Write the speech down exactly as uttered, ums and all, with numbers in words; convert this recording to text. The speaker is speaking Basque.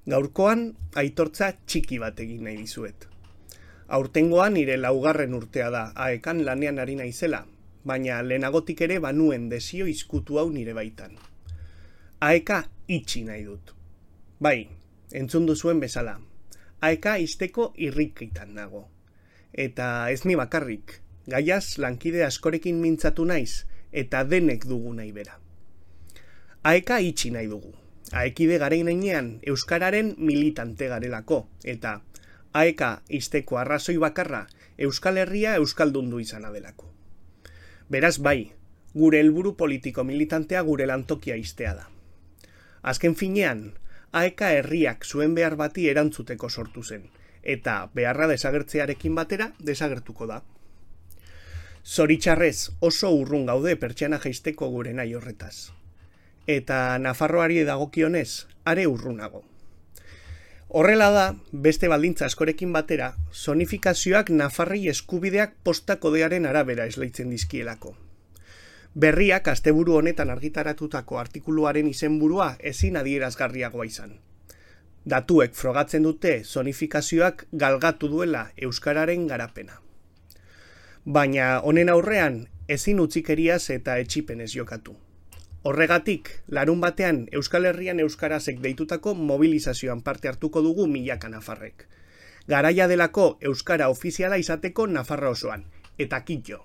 Gaurkoan aitortza txiki bat egin nahi dizuet. Aurtengoan nire laugarren urtea da aekan lanean ari naizela, baina lehenagotik ere banuen desio izkutu hau nire baitan. Aeka itxi nahi dut. Bai, entzun duzuen bezala. Aeka izteko irrikitan nago. Eta ez ni bakarrik, gaiaz lankide askorekin mintzatu naiz eta denek dugu nahi bera. Aeka itxi nahi dugu. Aekide garen heinean euskararen militante garelako eta aeka izteko arrazoi bakarra Euskal Herria euskaldundu izana delako. Beraz bai, gure helburu politiko militantea gure lantokia iztea da. Azken finean, aeka herriak zuen behar bati erantzuteko sortu zen, eta beharra desagertzearekin batera desagertuko da. Zoritxarrez oso urrun gaude pertsiana jaisteko gure nahi horretaz. Eta Nafarroari dagokionez, are urrunago. Horrela da, beste baldintza askorekin batera, zonifikazioak Nafarrei eskubideak posta kodearen arabera esleitzen dizkielako. Berriak asteburu honetan argitaratutako artikuluaren izenburua ezin adierazgarriagoa izan. Datuek frogatzen dute zonifikazioak galgatu duela euskararen garapena. Baina honen aurrean ezin utzikeriaz eta etsipenez jokatu. Horregatik, larun batean Euskal Herrian euskarazek deitutako mobilizazioan parte hartuko dugu milaka nafarrek. Garaia delako euskara ofiziala izateko Nafarra osoan, eta kitxo.